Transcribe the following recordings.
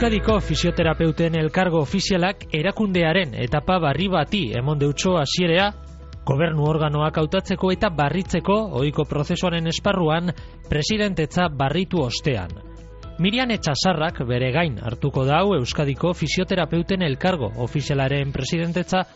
Euskadiko fisioterapeuten elkargo ofizialak erakundearen etapa barri bati emon deutxo hasierea, gobernu organoak hautatzeko eta barritzeko ohiko prozesuaren esparruan presidentetza barritu ostean. Mirian Etxasarrak bere gain hartuko dau Euskadiko fisioterapeuten elkargo ofizialaren presidentetza,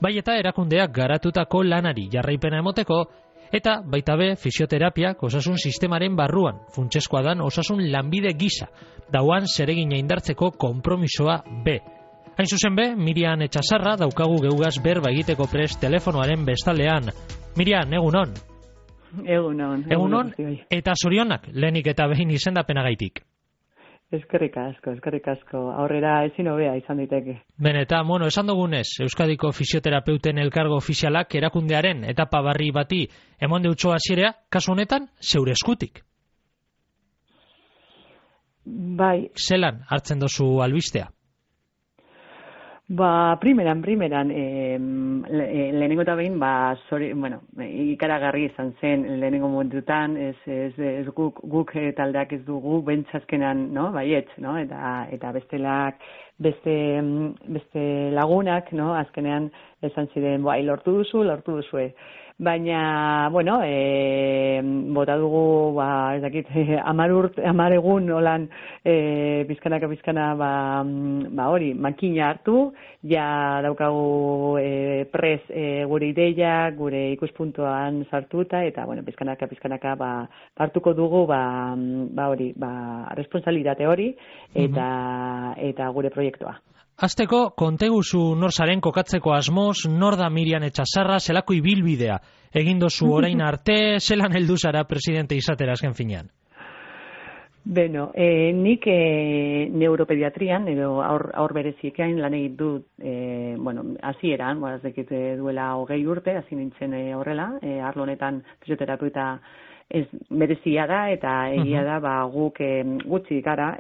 bai eta erakundeak garatutako lanari jarraipena emoteko, eta baita be fisioterapiak osasun sistemaren barruan funtsezkoa dan osasun lanbide gisa dauan zeregina indartzeko konpromisoa be. Hain zuzen be, Mirian Etxasarra daukagu geugaz berba egiteko prest telefonoaren bestaldean. Mirian, egunon? Egunon. Eta zorionak lehenik eta behin izendapenagaitik. Eskerrik asko. Aurrera ezin hobea izan diteke. Eta, esan dugunez, Euskadiko fisioterapeuten elkargo ofizialak erakundearen etapa barri bati emon deutxo hasierea, kasu honetan, zeure eskutik. Bai. Zelan hartzen dozu albistea? Primeran, lehenengo eta behin, ikaragarri izan zen lehenengo momentutan, ez guk taldeak ez dugu bentsazkenan, no, baietz, no, eta beste lagunak, no, azkenean esan ziren, lortu duzue. Baina, bota dugu, ez dakit, 10 egun olan pizkana hori, makina hartu, ja daukagu gure ideia, gure ikuspuntuan sartuta, eta, pizkanaka hartuko dugu, responsabilitate hori, eta gure proiektua. Hasteko, konteguzu nor zaren kokatzeko asmoz, nor da Mirian Etxasarra, zelako ibilbidea egin dozu orain arte, zelan heldu zara presidente izatera azken finean? Nik neuropediatrian, edo aur bereziekean lan egin dut, hasieran, ez dakit duela 20 urte, hasi nintzen horrela, arlo honetan fisioterapeuta ez berezia da, eta egia da, guk gutxi gara,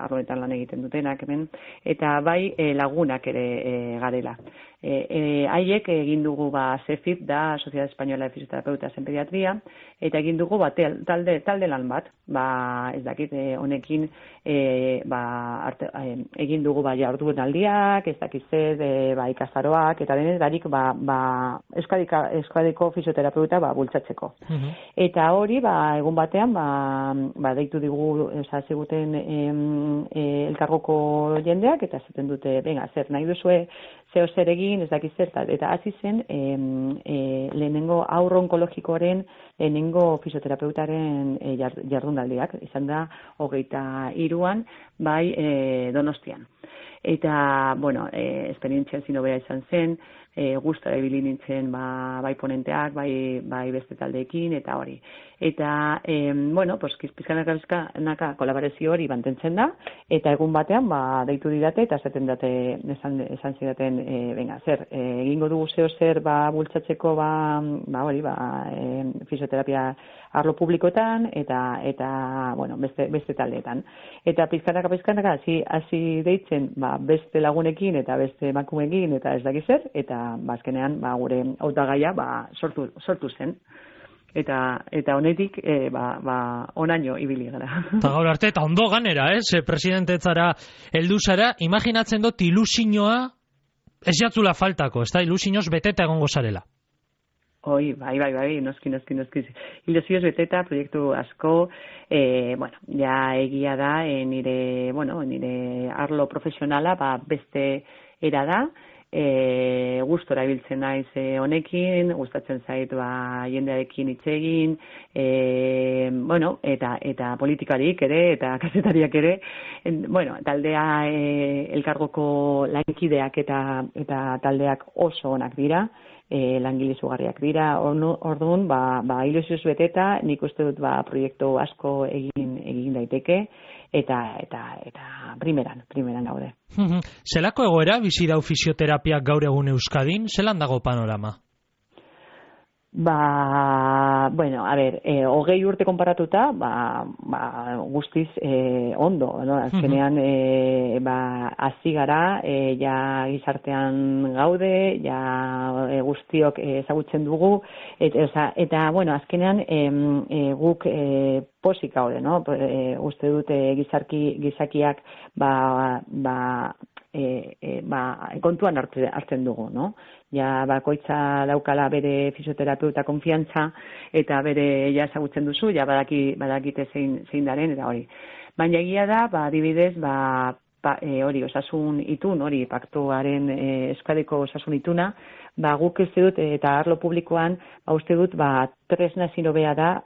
arloetan lan egiten dutenak hemen, eta bai lagunak ere garela. Haiek egin dugu CEFIP da, Sociedad Española de Fisioterapeutas en Pediatría, eta egin dugu talde lan bat, ez dakit honekin egin dugu jardun aldiak, ez dakit ikastaroak, eta denez darik Euskadiko fisioterapeuta bultzatzeko. Eta hori, egun batean, deitu digu ziguten elkargoko jendeak, eta zaten dute, zer nahi duzue, zeo zer egin, ez dakiz zer, eta hasi zen lehenengo aurro onkologikoaren lehenengo fisioterapeutaren jardunaldiak, izan da 23an, Donostian. Eta, esperientzia zinobea izan zen, gustora ibili nintzen bai ponenteak, bai beste taldeekin, eta hori. Eta, pizkanaka kolaborazio hori mantentzen da, eta egun batean, deitu didate, eta esan zidaten, zer, egingo dugu zer bultzatzeko, fisioterapia arlo publikoetan, eta beste taldeetan. Eta pizkanaka, hasi deitzen, beste lagunekin, eta beste emakumeekin, eta ez dakiz zer, eta azkenean, gure hautagaia, sortu zen. Eta honetik, onaino ibili gara. Eta gaur arte, eta ondo ganera, presidentetzara heldu zara, imaginatzen dut ilusioa ez jatzula faltako, ez da, ilusioz beteta egongo zarela. Bai, noski. Ilusioz beteta, proiektu asko, ja egia da, nire arlo profesionala, beste era da, gustora ibiltzen naiz honekin, gustatzen zait jendearekin hitz egin, eta politikarik ere, eta kazetariak ere, taldea elkargoko lankideak eta taldeak oso onak dira, langile izugarriak dira, orduan, ilusioz beteta, nik uste dut proiektu asko egin daiteke, eta primeran gaude. Zelako egoera bizi dau fisioterapiak gaur egun Euskadin, zelan dago panorama? Bueno, a ber, 20 urte konparatuta, guztiz ondo, no? Azkenean, hasi gara, ja gizartean gaude, ja guztiok ezagutzen dugu, eta bueno, azkenean guk posik gaude, no? Uste dut gizakiak kontuan hartzen dugu, no? Ja, bakoitza daukala bere fisioterapeuta konfiantza eta bere ja ezagutzen duzu, ja badakite zein daren eta hori. Baina egia da, adibidez, hori osasun itun, hori paktuaren Euskadiko osasun ituna, guk uste dut eta arlo publikoan uste dut tresna ezin hobea da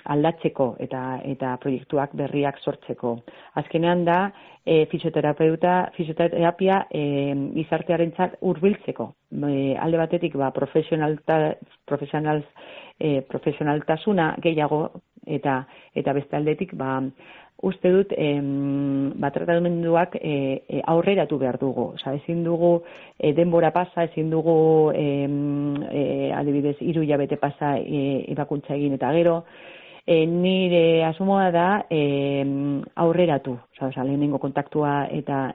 aldatzeko eta proiektuak berriak sortzeko. Azkenean da fisioterapia gizartearentzat hurbiltzeko. Alde batetik profesionaltasuna gehiago eta beste aldetik uste dut tratamenduak aurreratu behar dugu. Ezin dugu denbora pasa, ezin dugu adibidez 3 hilabete pasa ebakuntza egin eta gero. Nire asmoa da aurreratu, lehenengo kontaktua eta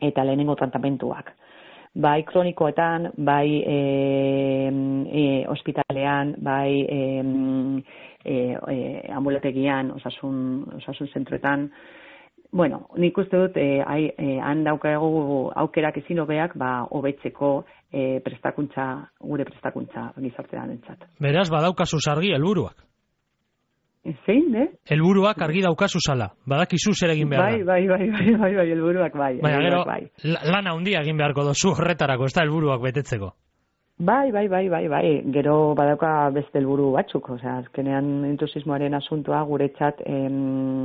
lehenengo tratamentuak. Bai kronikoetan, bai ospitalean, bai ambulategian, osasun zentroetan. Bueno, nik uste dut han daukagu aukerak ezin hobeak hobetzeko gure prestakuntza gizartearentzat. Beraz, badaukazu argi helburuak. Zein, helburuak argi daukazu zala. Badakizu zer egin behar da. Bai, helburuak bai. Baina gero, lan handia egin beharko dozu horretarako, ez da helburuak betetzeko. Bai. Gero badauka beste helburu batzuk. Azkenean entusiasmoaren asuntoa guretzat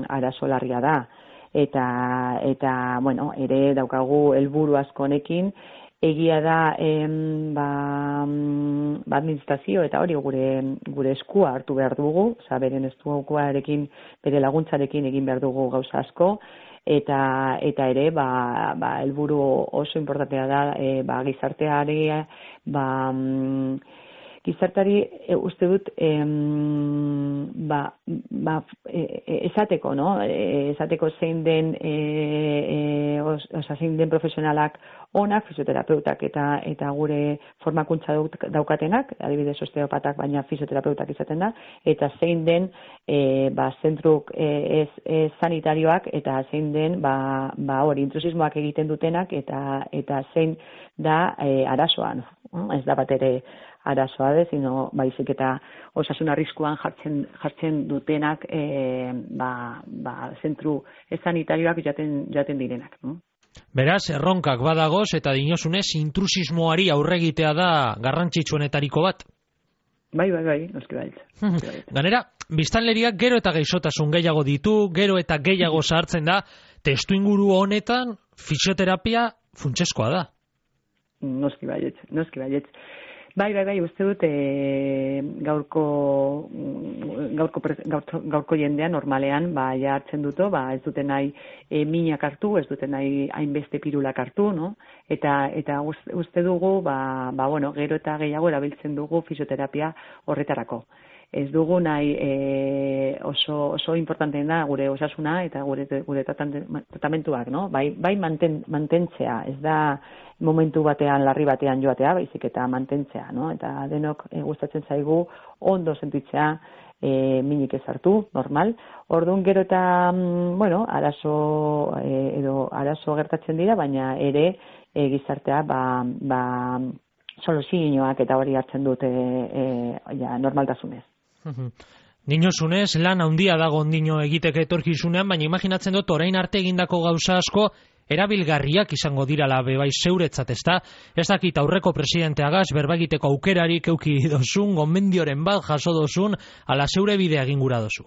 arazo larria da. Eta bueno, ere daukagu helburu asko honekin. Egia da administrazio eta hori gure eskua hartu behar dugu, beren eskuarekin, bere laguntzarekin egin behar dugu gauza asko, eta ere helburu oso importantea da gizarteari uste dut esateko, no? Esateko zein den profesionalak onak, fisioterapeutak eta gure formakuntza daukatenak, adibidez osteopatak baina fisioterapeutak izaten da, eta zein den zentruk sanitarioak eta zein den hori intrusismoak egiten dutenak eta zein da arazoan. Ez da bat ere arazoa sino baizik eta osasun arriskuan jartzen dutenak zentru sanitarioak jaten direnak. Beraz, erronkak badagoz eta dinosunez intrusismoari aurregitea da garrantzitsuenetariko bat. Bai, noski baiz. Ganera, biztanleriak gero eta gaixotasun gehiago ditu, gero eta gehiago sartzen da, testuinguru honetan fisioterapia funtsezkoa da. Noski baietz. Bai, uste dut gaurko jendean normalean ja hartzen duto, ez duten nahi minak hartu, ez duten nahi hainbeste pirulak hartu, no? Eta uste dugu, gero eta gehiago erabiltzen dugu fisioterapia horretarako. Ez dugu nahi oso importanteen da gure osasuna eta gure tratamentuak, no? Bai mantentzea, ez da momentu batean, larri batean joatea, baizik eta mantentzea, no? Eta denok gustatzen zaigu ondo sentitzea, minik ez hartu, normal. Orduan gero eta, arazo gertatzen dira, baina ere gizartea, soluzioak eta hori hartzen dute normaltasunez. Dinosunez, lan handia dago ondino egiteke etorkizunean, baina imaginatzen dut orain arte egindako gauza asko erabilgarriak izango dirala bai zeuretzat, ezta? Ez dakit aurreko presidenteagaz berba egiteko aukerarik euki dozun, gomendioren bat jaso dozun, ala zeure bidea egin gura dozu.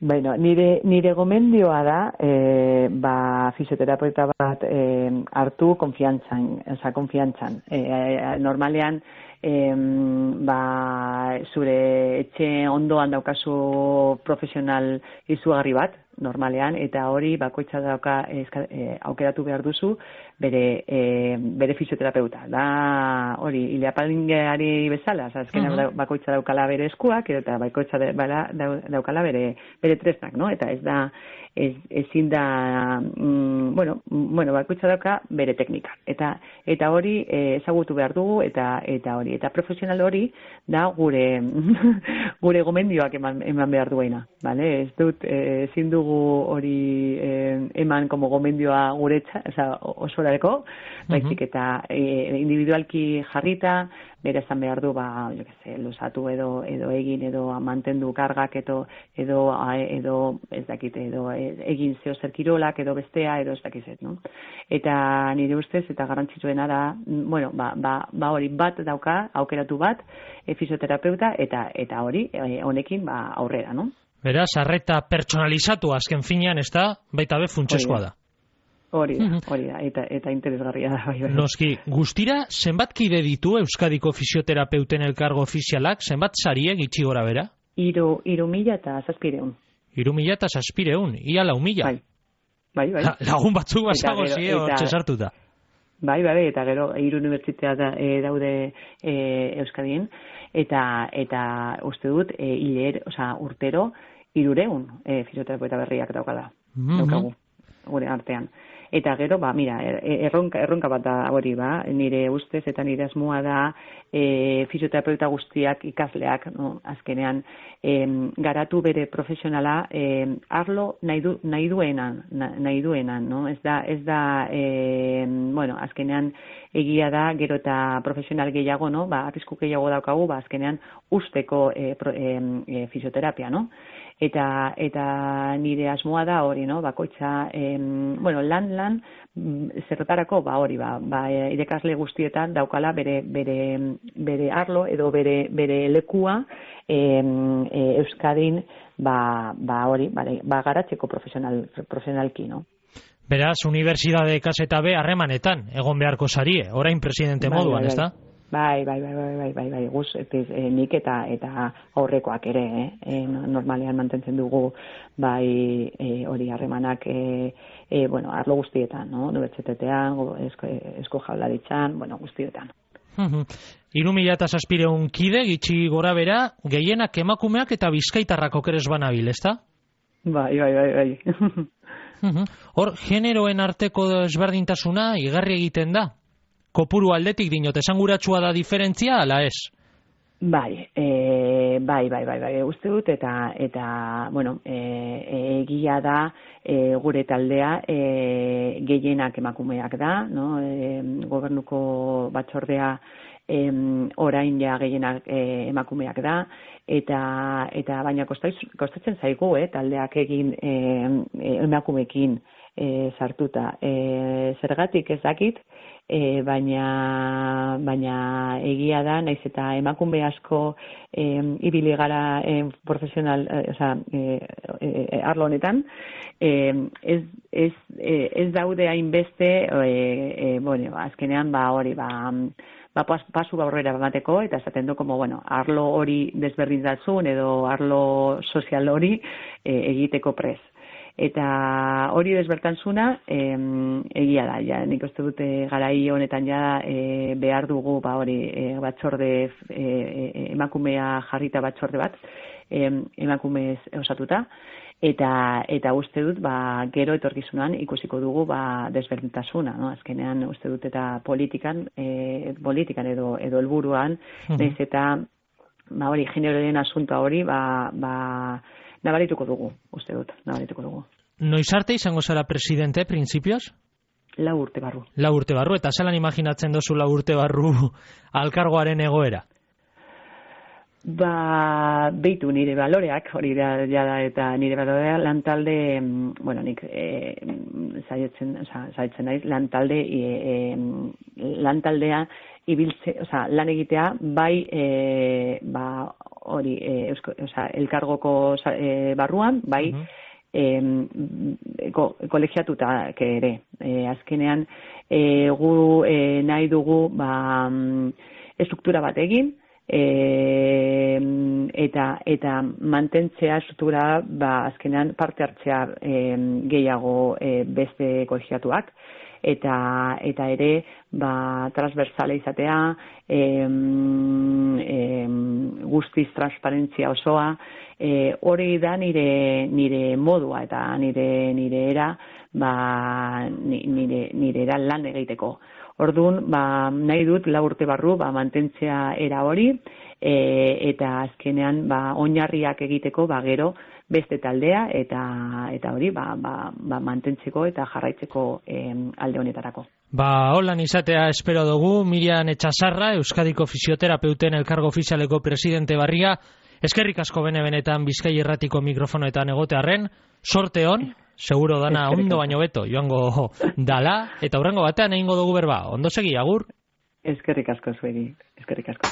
Bueno, nire gomendioa da, fisioterapeuta bat hartu konfiantzan. Normalean, zure etxe ondoan daukazu profesional izugarri bat, normalean, eta hori bakoitza dauka aukeratu behar duzu bere fisioterapeuta. Da hori, ileapalingeari bezala, azkenean bakoitza daukala bere eskuak, eta bakoitza daukala bere tresnak, no? Eta ez da, ezin da, bakoitza dauka bere teknika. Eta hori ezagutu behar dugu, eta hori. Eta profesional hori da gure gomendioak eman behar duena. Vale? Ez dut, ezin dugu hori eman como gomendioa gure osorareko, baizik eta individualki jarrita, bere esan behar du, luzatu edo egin, edo mantendu kargak, edo ez dakit, edo egin zeo zer kirolak, edo bestea, edo ez dakizet, no? Eta nire ustez, eta garrantzitsuena da, hori bat dauka, aukeratu bat, fisioterapeuta, eta hori, honekin, aurrera, no? Beraz, arreta pertsonalizatu azken finean, ez da, baita be funtsezkoa da. Hori da, eta interesgarria da. Bai. Noski, guztira, zenbat kide ditu Euskadiko fisioterapeuten elkargo ofizialak, zenbat sariek itxi gora bera? 3.700. 3.700, ia 4.000. Bai. Lagun batzuk bazago zie, hortxe sartuta. Bai, eta gero, 3 unibertsitatea daude Euskadien, eta uste dut, urtero, 300 fisioterapeuta berriak daukada. Daukagu, gure artean. Eta gero, erronka bat da hori, nire ustez eta nire asmoa da fisioterapeuta guztiak ikasleak, no? Azkenean, garatu bere profesionala arlo nahi duenan, no? Ez da, azkenean egia da, gero eta profesional gehiago, no? Arrisku gehiago daukagu, azkenean usteko fisioterapia, no? Eta nire asmoa da hori, no? Bakoitza, lan, zertarako, hori, irakasle guztietan daukala bere arlo edo bere lekua Euskadin, hori, garatzeko profesionalki, no? Beraz, unibertsitate kaseta be harremanetan, egon beharko sarie, orain presidente moduan, ez da? Bai, guz, nik eta aurrekoak ere, normalean mantentzen dugu, hori harremanak, arlo guztietan, no? Unibertsitatean, esko jaurlaritzan, guztietan. 3.700 kide, gitxi gora bera, gehienak emakumeak eta bizkaitarrak okeres banabil, ez da? Bai. Hor, generoen arteko ezberdintasuna igarri egiten da? Kopuru aldetik dinot, esanguratsua da diferentzia, ala ez? Bai, uste dut, eta egia da gure taldea gehienak emakumeak da, no? Gobernuko batzordea orain ja gehienak emakumeak da, eta baina kostatzen zaigu, taldeak egin emakumeekin sartuta. Zergatik ez dakit, baina egia da, naiz eta emakume asko ibili gara profesional, arlo honetan, ez daude hainbeste, azkenean hori, pasu aurrera emateko, eta esaten du, arlo hori desberdintasun edo arlo sozial hori egiteko prez. Eta hori desbertantzuna egia da, nik uste dute garai honetan behar dugu batzorde emakumea jarrita batzorde bat, emakumez osatuta, eta uste dut gero etorkizunan ikusiko dugu desberdintasuna, no? Azkenean uste dut eta politikan edo helburuan, naiz eta hori generoen asuntoa hori nabarituko dugu, uste dut, nabarituko dugu. Noiz arte izango zara presidente, printzipioz? 4 urte barru. 4 urte barru, eta zelan imaginatzen dozu 4 urte barru alkargoaren egoera? Beitu nire baloreak, hori da, eta nire baloreak lantalde, nik zaitzen naiz, lantaldea ibiltze, lan egitea, hori, elkargoko barruan, kolegiatutak ere. Azkenean, gu nahi dugu estruktura bat egin, eta mantentzea estruktura azkenean parte hartzea gehiago beste kolegiatuak eta ere transversala izatea, guztiz transparentzia osoa, hori da nire modua eta nire era nire era lan egiteko. Orduan, nahi dut 4 urte barru mantentzea era hori eta azkenean oinarriak egiteko gero beste taldea eta hori mantentzeko eta jarraitzeko alde honetarako. Holan izatea espero dugu. Miriam Etxasarra, Euskadiko Fisioterapeuten Elkargo Ofizialeko presidente barria, eskerrik asko benetan Bizkai Irratiko mikrofonoetan egotearren, sorte on, seguro dana ondo baino beto joango dala, eta hurrengo batean egingo dugu berba. Ondo segi, agur? Eskerrik asko zuegi, eskerrik asko.